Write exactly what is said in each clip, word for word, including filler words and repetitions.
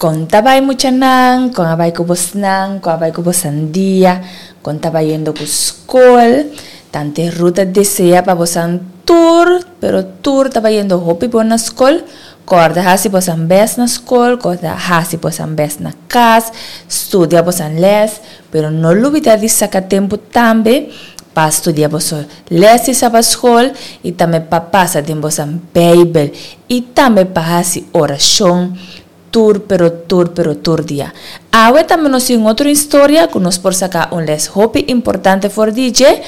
Kon ta bai muchanan, kon a bai ku bosnan, kon a bai ku bosan dia, kon ta bayendo ku skol. Tante Ruth ta desea pa bosan tur, pero tur ta bayendo hopi bon na skol. Kòrda hasi bosan bèst na skol, kòrda hasi bosan bèst na kas, studia bosan lès, pero no lubidá di saka tempu tambe pa studia boso lès di sabatskol i tambe pa pasa den bosan Beibel i tambe pa hasi orashon tur pero tur pero tur dia. Awe tambe nos tin otro historia ku nos por saka un lès hopi importante for di dje,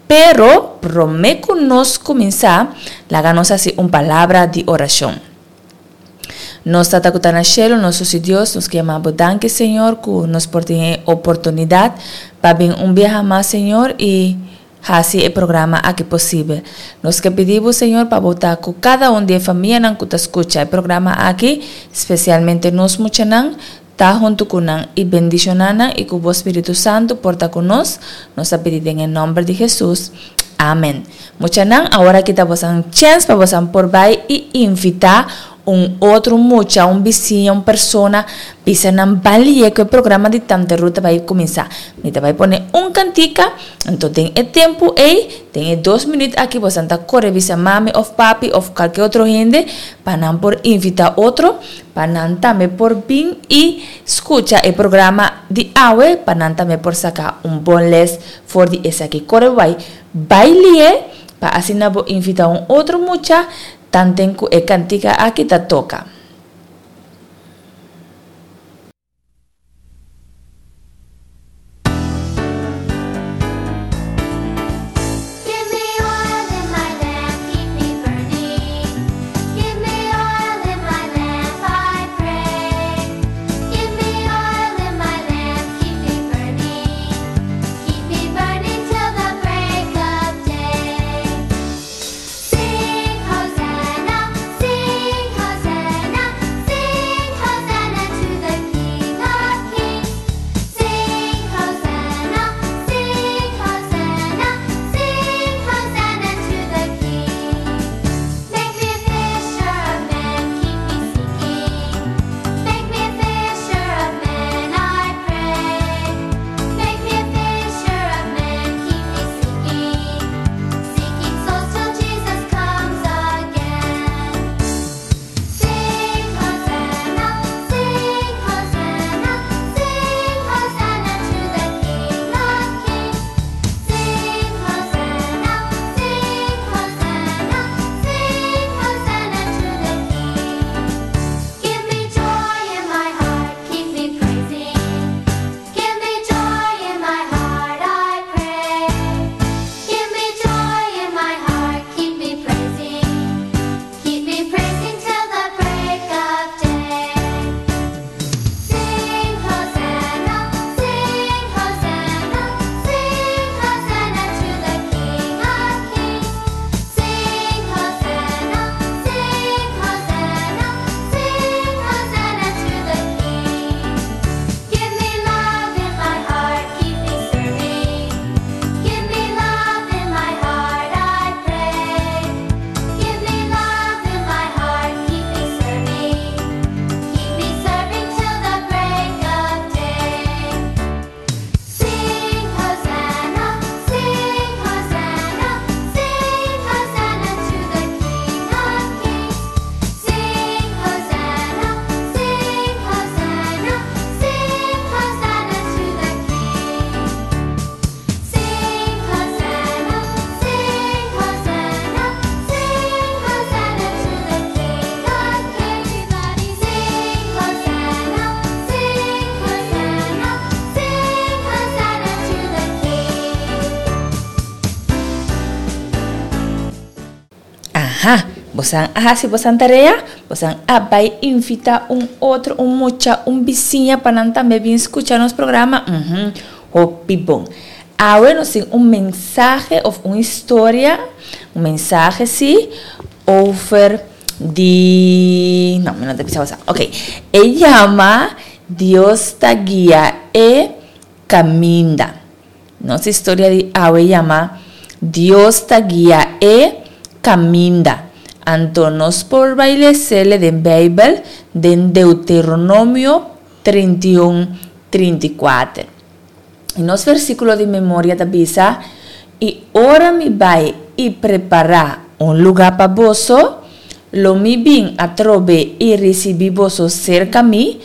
pero promé ku nos kuminsá, laga nos hasi un palabra di orashon. Nos Tata ku ta na shelu, nos Susi Dios, nos ke yama Bo danki, Señor, ku nos por tin e oportunidat pa bin un biaha mas, Señor, i hasi e programa aki posibel. Nos ke pidi Bo, Señor, pa Bo ta ku kada un di e famianan ku ta skucha e programa aki, spesialmente nos muchanan, ta huntu ku nan i bendishoná nan i ku Bo Spiritu Santu por ta ku nos. Nos ta pidi den e nòmber di Hesus. Amen. Muchanan, awor aki ta bosan chèns pa bosan por bai i invitá un otro mucha, un bisiña, un persona, bisa nan balie ku e programa di Tante Ruth ta bai kuminsá. Mi ta bai pone un kantika, anto den e tempu ei, den e dos minüt aki bosan ta kore bisa mami òf papi òf kalke otro hende pa nan por invitá otro pa nan tambe por bin i skucha e programa di awe pa nan tambe por saka un bon lès for di esaki. Kore bai bailie pa asina bo invitá un otro mucha tanten ku e kantika aki ta toka. Give me oil in my lamp, keep me burning. Give me oil in my lamp, I pray. Give me oil in my lamp, keep me burning. Keep me burning till the break of day. Sing Hosanna, sing Hosanna, sing Hosanna to the King of Kings. Sing Hosanna, sing Hosanna, sing Hosanna to the King. Make me a fisher of men, keep me seeking. Make me a fisher of men, I pray. Make me a fisher of men, keep me seeking. Seeking souls till Jesus comes again. Sing Hosanna, sing Hosanna, sing Hosanna to the King of Kings. Sing Hosanna, sing Hosanna, sing Hosanna to the King. Give me joy in my heart, keep me praising. Give me joy in my heart, I pray. Give me joy in my heart, keep me praising. Keep me praising till the break of day. Sing Hosanna, sing Hosanna, sing Hosanna to the King of Kings. Sing Hosanna, sing Hosanna, sing Hosanna to the King. Give me love in my heart, keep me serving. Give me love in my heart, I pray. Give me love in my heart, keep me serving. Keep me serving till the break of day. Sing Hosanna, sing Hosanna, sing Hosanna to the King of Kings. Sing Hosanna, sing Hosanna, sing Hosanna to the King. Sing Hosanna, sing Hosanna, sing Hosanna to the King of Kings. Everybody sing Hosanna, sing Hosanna, sing Hosanna to the King. Aha, bosan a hasi bosan tarea, bosan a bai invitá un otro, un mucha, un bisiña pa nan tambe bin skucha nos programa. Mhm, hopi bon. Awe nos tin un mensahe òf un historia, un mensahe sí, over di... No, mi no ta bisa bosan. Ok, e yama Dios ta guia e kaminda. Nos historia di awe yama Dios ta guia e kaminda. Anto nos por bai les'é den Beibel den Deuteronomio trinta i un, trinta i kuater. I nos versíkulo di memoria ta bisa, I ora mi bai i prepará un lugá pa boso, lo mi bin atrobe i risibí boso serka mi,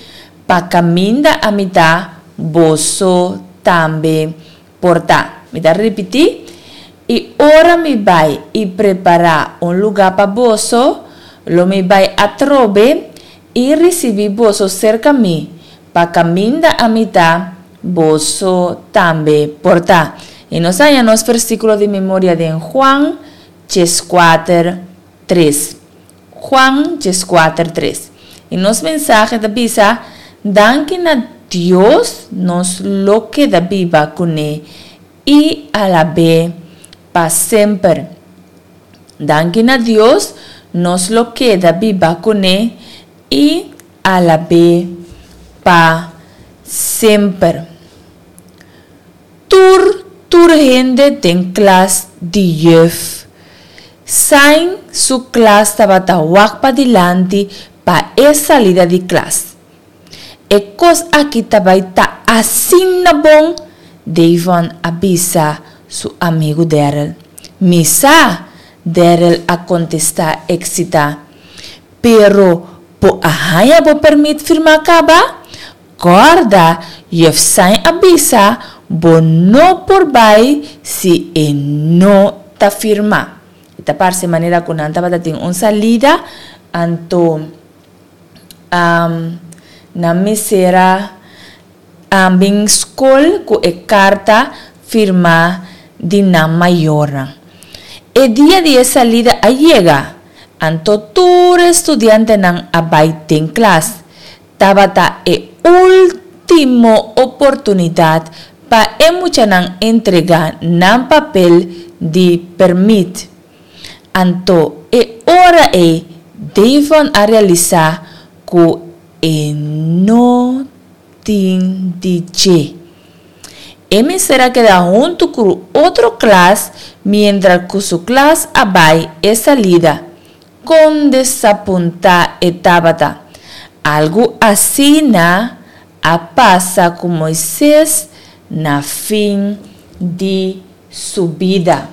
pa kaminda ami ta, boso tambe por ta. Mi ta ripití, I ora mi bai i prepará un lugá pa boso, lo mi bai atrobe i risibí boso serka mi, pa kaminda ami ta, boso tambe por ta. I nos haña nos versíkulo di memoria den Juan dieskuater, tres. Juan dieskuater, tres. I nos mensahe ta bisa, Danki na Dios nos lo keda biba kuné i alab'é pa semper. Danki na Dios nos lo keda biba kuné i alab'é pa semper. Tur tur hende den klas di juf Sain su klas tabata wak padilanti pa e salida di klas. E kos aki ta bai ta asina bon, Davon a bisa su amigu Daryl. Mi sa, Daryl a kontestá eksitá. Pero bo a haña bo pèrmit firmá kaba? Kòrda, juf Sain a bisa bo no por bai si e no ta firmá. E ta parse manera ku nan tabata tin un salida, anto nan mester a bin skol ku e karta firmá di nan mayornan. E dia di e salida a yega, anto tur e studiantenan a bai den klas. Tabata e último oportunidat pa e muchanan entregá nan papel di pèrmit. Anto e ora ei Davon a realisá ku e no tin di dje. E mester a keda huntu ku otro klas miéntras ku su klas a bai e salida. Kon desapuntá e tabata! Algu asina a pasa ku Moises na fin di su bida.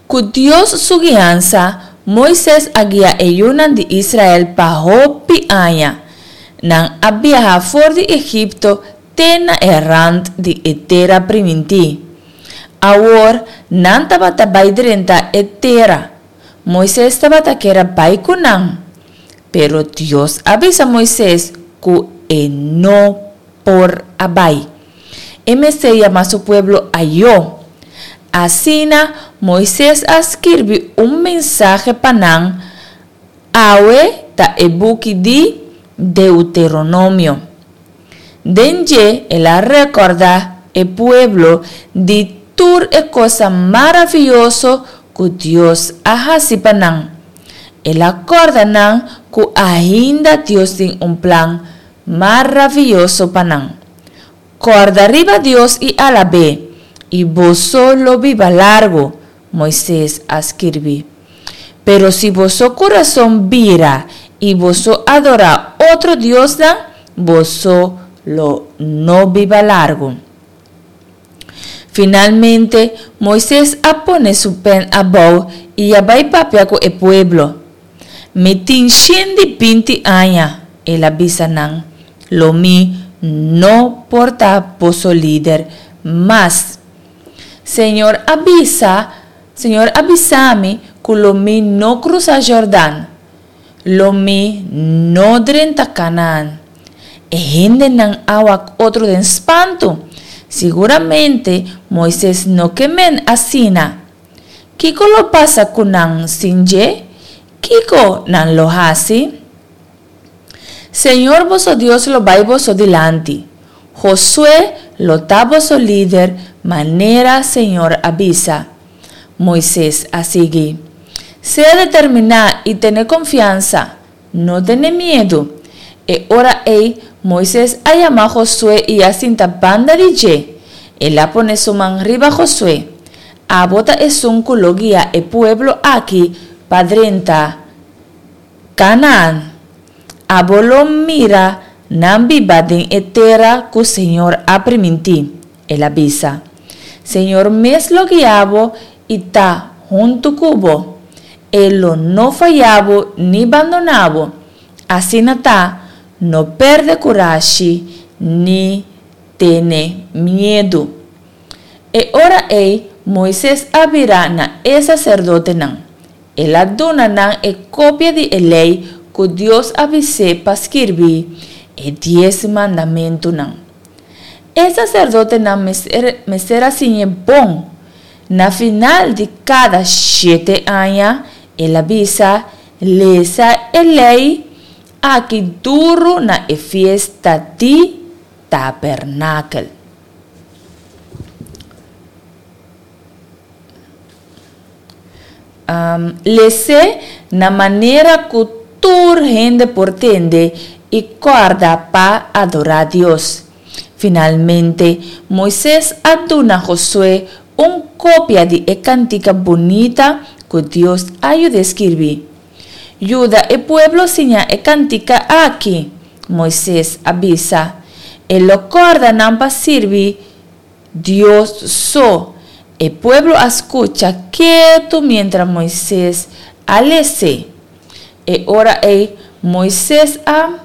Ku Dios su guiansa, Moises a guia e yunan di Israel pa hopi aña. Nan a biaha for di Egipto te na e rant di e Tera Primintí. Awor nan tabata bai drenta e tera. Moises tabata kier a bai ku nan. Pero Dios a bisa Moises ku e no por a bai. E mester yama su pueblo ayó. Asina, Moises a skirbi un mensahe pa nan, Awe ta e buki di Deuteronomio. Den dje el a rekordá e pueblo di tur e kosnan maravioso ku Dios a hasi pa nan. El a kòrda nan ku ainda Dios tin un plan maravioso pa nan. Kòrda riba Dios i alab'é, i boso lo biba largu, Moises a skirbi. Pero si boso kurason bira i boso adorá otro diosnan, boso lo no biba largu. Finalmente, Moises a pone su pèn abou i a bai papia ku e pueblo. Mi tin shen di binti aña, el a bisa nan, lo mi no por ta boso lider mas. Señor a bisa, Señor a bisa mi ku lo mi no krusa Jordan, lo mi no drenta Kanaan. E hendenan a wak otro den spantu. Siguramente Moises no ke men asina. Kiko lo pasa ku nan sin dje? Kiko nan lo hasi? Señor boso Dios lo bai boso dilanti. Josué lo ta boso lider manera Señor a bisa. Moises a sigui. Sea determiná i tene konfiansa. No tene miedu. E ora ei Moises a yama Josué i a sinta banda di dje. El a pone su man riba Josué. Abo ta esun ku lo guia e pueblo akí pa drenta Kanaan. Abo lo mira nan biba den e tera ku señor a primintí, el a bisa. Señor mes lo guia bo i ta huntu ku bo. E lo no faya bo ni bandoná bo. Asina ta, no pèrdè kurashi ni tene miedu. E ora ei Moises a bira na e saserdotenan. El a duna nan e kopia di e Lei ku Dios a bis'é pa skirbi, e Dies Mandamentunan. E saserdotenan mester a siñ'é bon. Na final di kada shete aña, el a bisa, Lesa e Lei aki duru na e fiesta di Tabernakel. Les'é na manera ku tur hende por tende i kòrda pa adorá Dios. Finalmente, Moises a duna Josué un kopia di e kantika bunita ku Dios a yud'é skirbi. Yuda e pueblo siña e kantika aki, Moises a bisa. E lo kòrda nan pa sirbi Dios so. E pueblo a skucha ketu miéntras Moises a les'é. E ora ei Moises a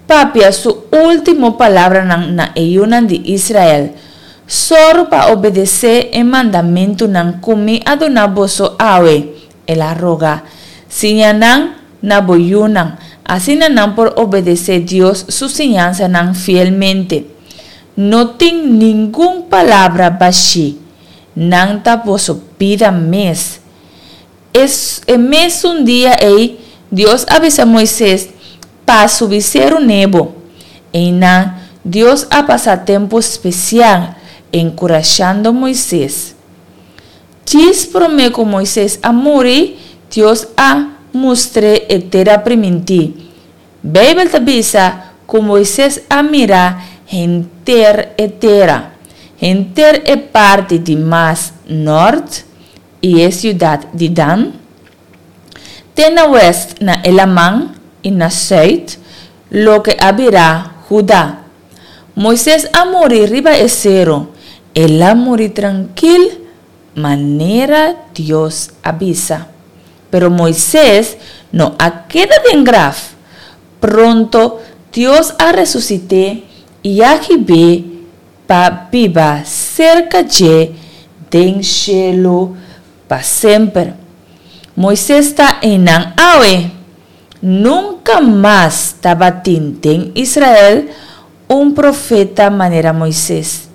papia su último palabranan na e yunan di Israel, Sòru pa obedesé e mandamentunan ku mi a duna boso awe, el a roga. Siña nan na bo yunan, asina nan por obedesé Dios su siñansanan fielmente. No tin ningun palabra bashí. Nan ta boso bida mes. E e mesun dia ei, Dios a bisa Moises pa subi Seru Nebo. Einan, Dios a pasa tempu spesial enkurashando Moises. Djis promé ku Moises a muri, Dios a mustr'é e Tera Primintí. Beibel ta bisa ku Moises a mira henter e tera, henter e parti di mas nòrt i e siudat di Dan, te na wèst na e laman i na sùit, loke a bira Huda. Moises a muri riba e seru, el a muri trankil manera Dios a bisa. Pero Moises no a keda den graf. Pronto Dios a resusit'é i a hib'é pa biba serka dje den shelu pa semper. Moises ta einan awe. Nunka mas tabatin den Israel un profeta manera Moises.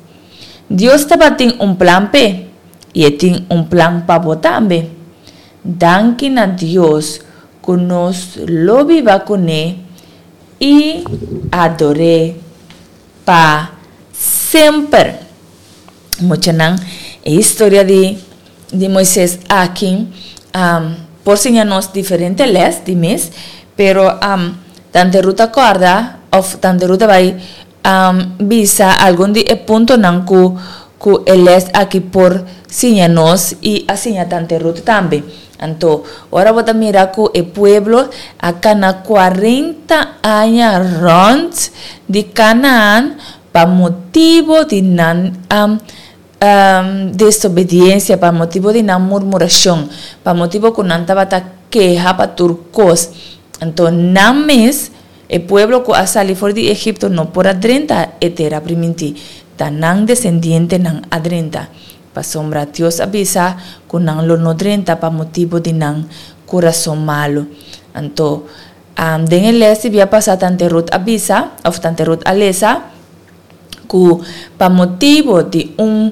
Dios tabatin un plan p'e, i e tin un plan pa bo tambe. Danki na Dios ku nos lo biba kuné i ador'é pa semper. Muchanan, e historia di di Moises aki por siña nos diferente les di mes, pero Tante Ruth ta kòrda òf Tante Ruth ta bai bisa algun di e puntonan ku ku e les aki por siña nos i a siña Tante Ruth tambe. Anto, ora bo ta mira ku e pueblo a kana kuarenta aña rònt di Kanaan pa motibu di nan desobediensia, pa motibu di nan murmurashon, pa motibu ku nan tabata keha pa tur kos. Anto nan mes, e pueblo ku a sali for di Egipto, no por a drenta e tera primintí. Ta nan desendientenan a drenta. Pasobra Dios a bisa ku nan lo no drenta pa motibu di nan kurason malu. Anto, den e lès di bia pasá Tante Ruth a bisa, òf Tante Ruth a lesa, ku pa motibu di un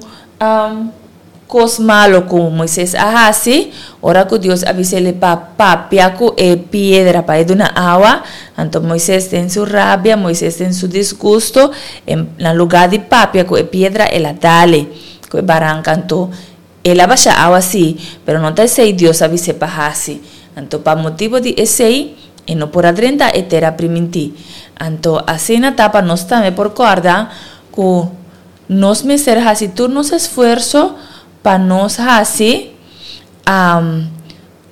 kos malu ku Moises a hasi, ora ku Dios a bis'el pa papia ku e piedra pa e duna awa, anto Moises den su rabia, Moises den su disgusto, na lugá di papia ku e piedra el a dal-e. Ku e baranka anto el a basha awa sí, pero no ta esei Dios a bis'é pa hasi. Anto pa motibu di esei e no por a drenta e tera primintí. Anto asina ta pa nos tambe por kòrda ku Nos mester hasi tur nos esfuerso pa nos hasi um,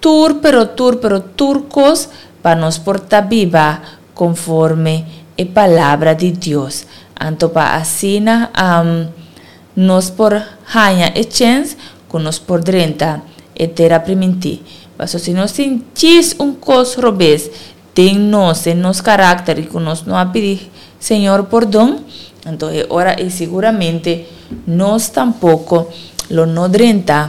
tur pero tur pero tur kos pa nos por ta biba konforme e palabra di Dios. Anto pa asina um, nos por haña e chèns ku nos por drenta e tera primintí. Paso si nos tin djis un kos robes den nos, den nos karakter i ku nos no a pidi Señor pordon, anto e ora ei siguramente nos tampoko lo no drenta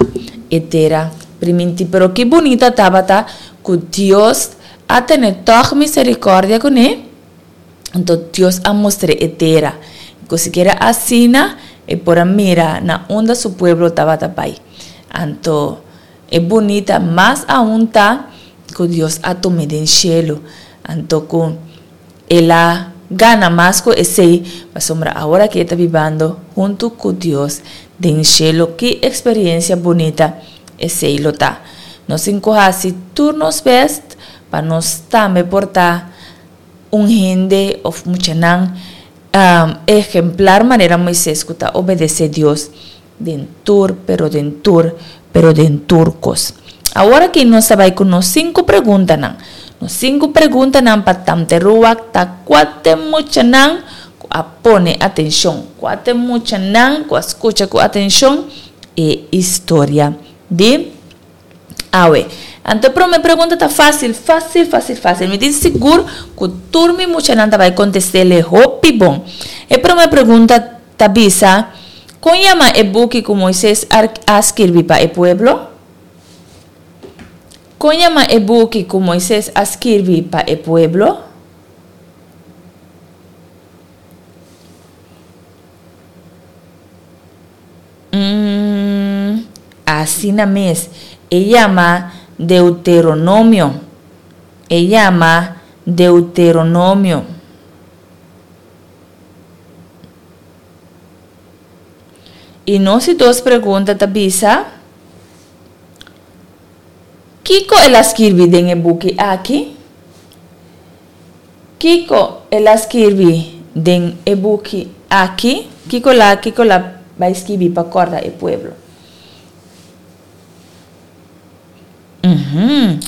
e tera primintí. Pero ki bunita tabata ku Dios a tene tòg miserikòrdia kuné, anto Dios a mustr'é e tera. Ku sikiera asina e por a mira na unda su pueblo tabata bai. Anto e bunita mas aun ta ku Dios a tum'é den shelu. Anto ku el a gana mas ku esei, pasobra awor aki e ta bibando huntu ku Dios den shelu. Ki eksperensia bunita esei lo ta! Nos tin ku hasi tur nos bèst pa nos tambe por ta un hende òf muchanan ehemplar manera Moises ku ta obedesé Dios den tur, pero den tur, pero den tur kos. Awor aki nos ta bai ku nos sinku preguntanan. Nos sinku preguntanan pa Tante Ruak ta kua t'e muchanan ku a pone atenshon, kua t'e muchanan ku a skucha ku atenshon e historia di awe. Anto e prome pregunta ta fásil, fásil, fásil, fásil. Mi tin sigur ku tur mi muchanan ta bai kontest'é hopi bon. E prome pregunta ta bisa, Kon yama e buki ku Moises a skirbi pa e pueblo? Kon yama e buki ku Moises a skirbi pa e pueblo? Mm, asina mes, e yama Deuteronomio. E yama Deuteronomio. I nos di dos pregunta ta bisa, Kiko el a skirbi den e buki aki? Kiko el a skirbi den e buki aki? Kiko la kiko la bai skibi pa kòrda e pueblo? Uhum.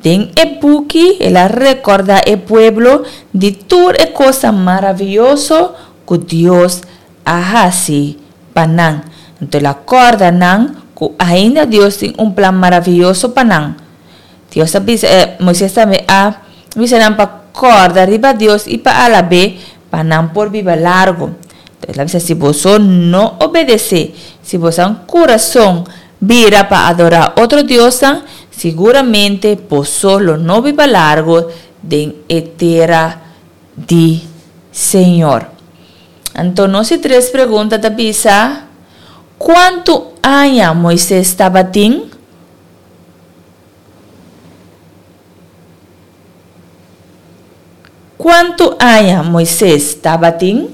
Den e buki el a rekòrdá e pueblo di tur e kosnan maravioso ku Dios a hasi pa nan. Anto el a kòrda nan ku ainda Dios tin un plan maravioso pa nan. Dios a bisa, Moises tambe a bisa nan pa kòrda riba Dios i pa alab'é pa nan por biba largu. Anto el a bisa, Si boso no obedesé, si boso kurason bira pa adorá otro diosnan, siguramente boso lo no biba largu den e tera di Señor. Anto nos di tres pregunta ta bisa, Kuantu aña Moises tabatin? Kuantu aña Moises tabatin?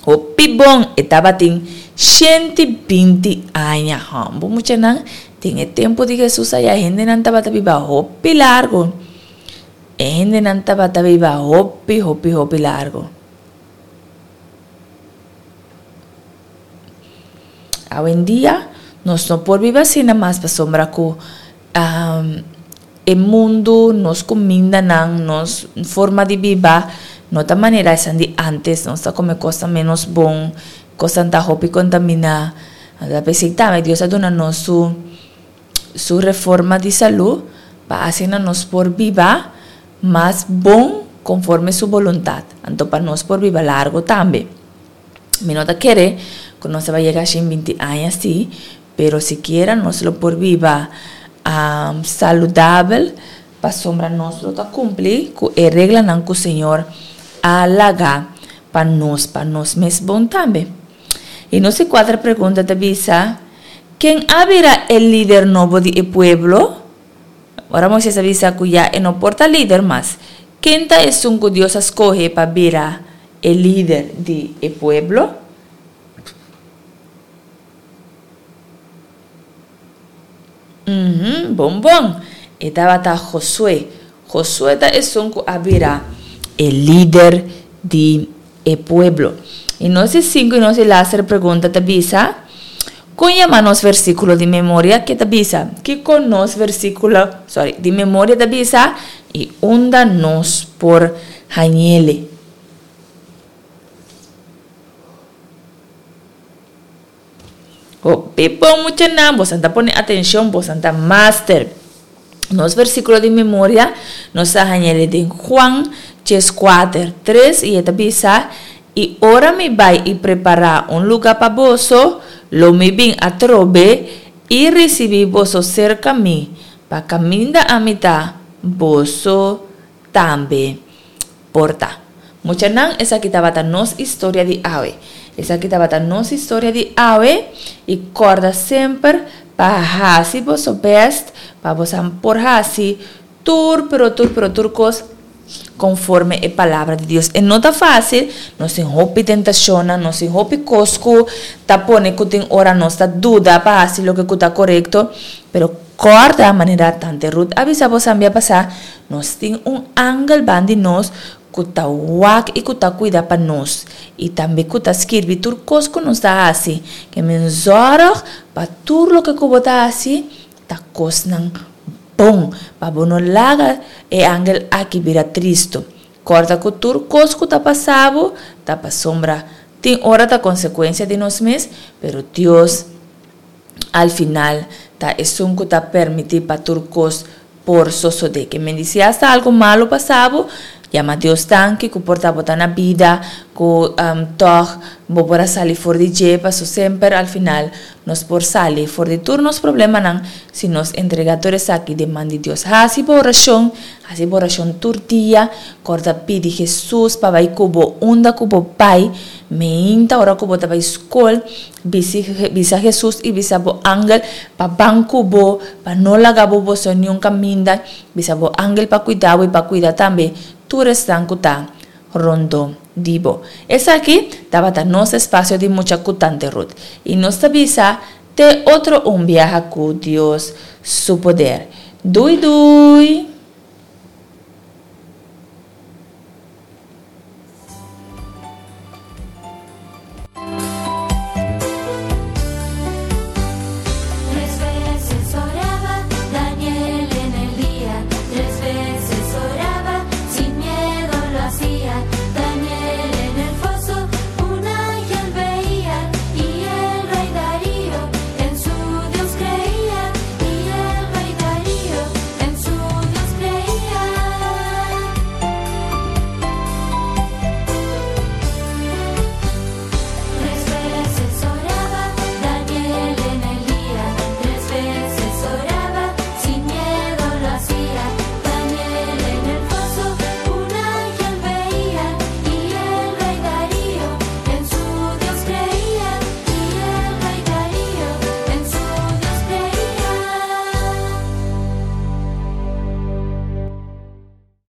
Hopi bon, e tabatin shenti binti aña. Hòmber muchanan, den e tempu di Hesus aya hendenan tabata biba hopi largu. E hendenan tabata biba hopi, hopi, hopi largu. Awendia nos no por biba asina mas pasobra ku e mundu, nos kumindanan, nos forma di biba no ta manera esan di ántes. Nos ta kome kosnan ménos bon, kosnan ta hopi kontaminá. Anto ta p'esei tambe Dios a duna nos su su reforma di salú pa asina nos por biba mas bon konforme su boluntat. Anto pa nos por biba largu tambe. Mi no ta kere ku nos ta bai yega shen binti aña si, pero sikiera nos lo por biba saludabel pasobra nos lo ta kumpli ku e reglanan ku Señor a laga pa nos, pa nos mes bon tambe. I nos di kuater pregunta ta bisa, Ken a bira e lider nobo di e pueblo? Ora Moises a bisa ku ya e no por ta lider mas, ken ta esun ku Dios a skohe pa bira e lider di e pueblo? Uhum, bon bon! E tabata Josué. Josué ta esun ku a bira e lider di e pueblo. I nos di sinku i nos di laster pregunta ta bisa, Kon yama nos versíkulo di memoria? Ke ta bisa? Kiko nos versíkulo, sorry, di memoria ta bisa i unda nos por hañ'ele? Hopi bon muchanan, bosan ta pone atenshon, bosan ta master. Nos versíkulo di memoria nos ta hañ'ele den Juan djes kuater, tres i e ta bisa, I ora mi bai i prepará un lugá pa boso, lo mi bin atrobe i risibí boso serka mi, pa kaminda ami ta, boso tambe por ta. Muchanan, esaki tabata nos historia di awe. Esaki tabata nos historia di awe i kòrda semper pa hasi boso bèst pa bosan por hasi tur pero tur pero tur kos konforme e palabra di Dios. E no ta fásil, nos tin hopi tentashonnan, nos tin hopi kos ku ta pone ku tin ora nos ta duda pa hasi loke ku ta korekto, pero kòrda manera Tante Ruth a bisa bosan bia pasá, nos tin un angel ban di nos ku ta wak i ku ta kuida pa nos, i tambe ku ta skirbi tur kos ku nos ta hasi. Ke men zòrg pa tur loke ku bo ta hasi ta kosnan bon, pa bo no laga e angel aki bira tristu. Kòrda ku tur kos ku ta pasa bo ta pasobra tin ora ta konsekuensia di nos mes, pero Dios al final ta esun ku ta permití pa tur kos por sosodé. Ke men di si asta algu malu pasa bo, yama Dios danki ku por ta bo ta na bida, ku tòg bo por a sali for di dje, paso semper al final nos por sali for di tur nos problemanan si nos entrega tur esaki den man di Dios. Hasi bo orashon, hasi bo orashon tur dia, kòrda pidi Hesus pa bai ku bo unda ku bo bai, meinta ora ku bo ta bai skol, bisi bisa Hesus i bisa bo angel pa ban ku bo, pa no laga bo boso niun kaminda, bisa bo angel pa kuida bo i pa kuida tambe tur esnan ku ta rondó di bo. Esaki tabata nos espasio di mucha ku Tante Ruth. I nos ta bisa te otro un biaha ku Dios su poder. Dui dui!